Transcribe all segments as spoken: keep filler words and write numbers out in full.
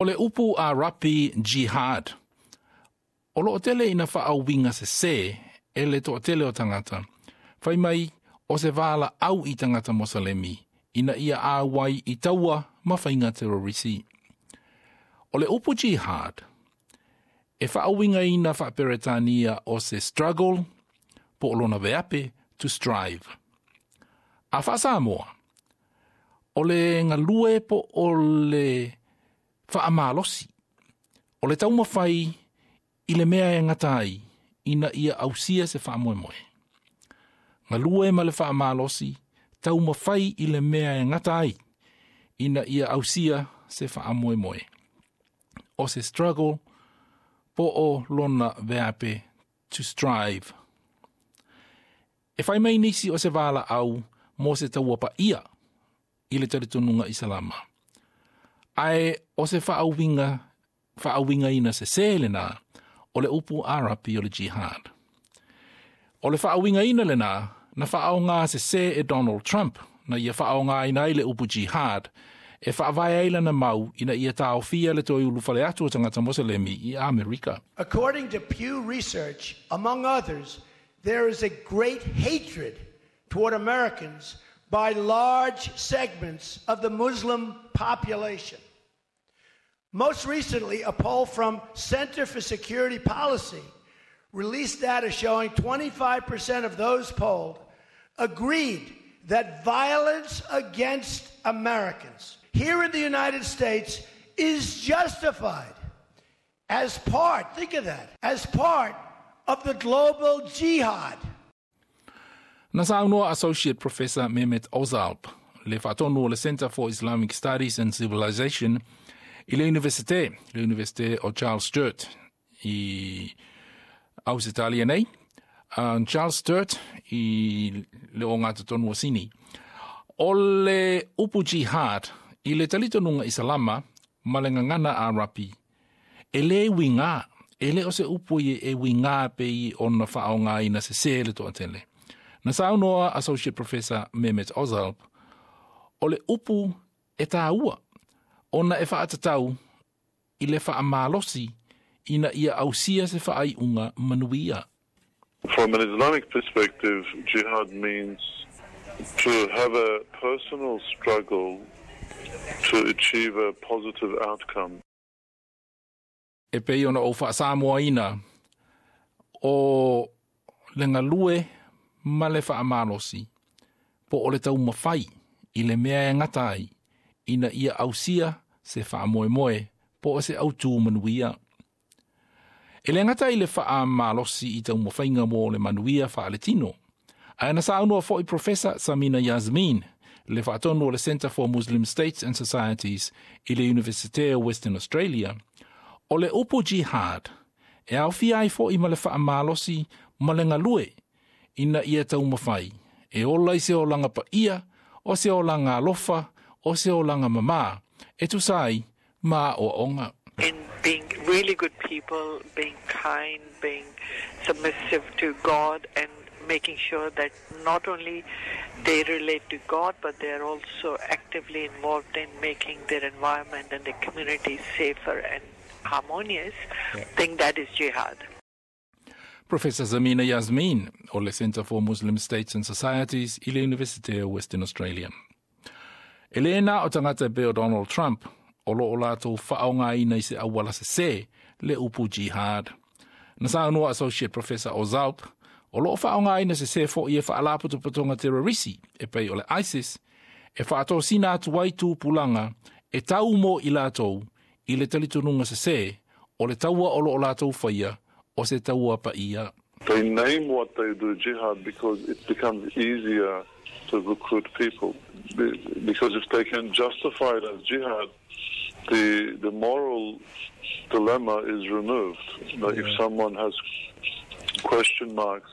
O le upu Arapi jihad, o loo tele ina faauiga sesē e le toatele o tagata. Fai mai o se valaau i tagata Mosalemi ina ia auai i taua ma faiga terorisi. O le upu jihad, e faauigaina faaperetania o se struggle po o lona veape to strive. A faasamoa, o le galue po o le faamalosi. O le taumafai i le mea e gata ai ina ia ausia se faamoemoe. Galue ma le faamalosi, taumafai i le mea e gata ai ina ia ausia se faamoemoe. O se struggle po o lona veape to strive. E fai mai nisi o se valaau mo se taua paia i le talitonuga Isalama. Ae o se faauiga, faauigaina sesē lenā o le upu Arapi o le jihad. O le faauigaina lenā na faaaogā sesē e Donald Trump na ia faaaogāina ai le upu jihad e faavae ai lana mau ina ia taofia le toe ulufale atu o tagata Moselemi i Amerika. According to Pew Research, among others, there is a great hatred toward Americans by large segments of the Muslim population. Most recently, a poll from Center for Security Policy released data showing twenty-five percent of those polled agreed that violence against Americans here in the United States is justified as part, think of that, as part of the global jihad. Na saunoa Associate Professor Mehmet Ozalp, le faatonu o le Center for Islamic Studies and Civilization i le Universite, le Universite o Charles Sturt i Ausetalia nei. Uh, Charles Sturt i le ogatotonu o Sini. O le upu jihad i le talitonuga Isalama ma le gagana Arapi, e lē uigā, e le o se upu i e uigā pei ona faaaogāina sesē le toatele. Na saunoa Associate Professor Mehmet Ozalp, o le upu e tāua, ona e faatatau i le faamalosi ina ia ausia se faaiuga manuia. From an Islamic perspective, jihad means to have a personal struggle to achieve a positive outcome. E pei ona ou faasamoaina o le galue ma le faamalosi po o le taumafai i le mea e gata ai ina ia ausia se faamoemoe po o se autū manuia. E le gata i le faamalosi i taumafaiga mo le manuia faaletino. Ae na saunoa foʻi Professor Samina Yasmin, le faatonu o le Center for Muslim States and Societies i le Universite o Western Australia, o le upu jihad e aofia ai foʻi ma le faamalosi ma le galue ina ia taumafai e ola i se olaga paia o se olaga alofa o se olaga mamā e tusa ai ma aoaoga. In being really good people, being kind, being submissive to God, and making sure that not only they relate to God, but they are also actively involved in making their environment and their community safer and harmonious, yeah. Think that is jihad. Professor Samina Yasmin o le Center for Muslim States and Societies i le Universite o Western Australia. E le na o tagata pei o Donald Trump o loo latou faaaogāina i se auala sesē le upu jihad. Na saunoa Associate Professor Ozalp, o loo faaaogāina sesē foʻi e faalapotopotoga terorisi e pei o le ISIS e faatosina atu ai tupulaga e tau mo i latou i le talitonuga sesē o le taua o loo latou faia o se taua paia. They name what they do jihad because it becomes easier to recruit people. Because if they can justify it as jihad, the the moral dilemma is removed. Like yeah. If someone has question marks,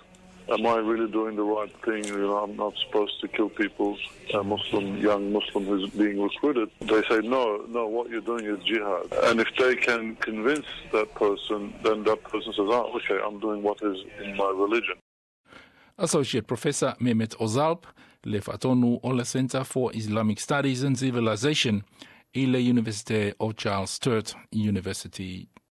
am I really doing the right thing? You know, I'm not supposed to kill people, a Muslim, young Muslim who's being recruited. They say, no, no, what you're doing is jihad. And if they can convince that person, then that person says, oh, okay, I'm doing what is in my religion. Associate Professor Mehmet Ozalp, le faatonu o le Center for Islamic Studies and Civilization I le Universite o Charles Sturt University.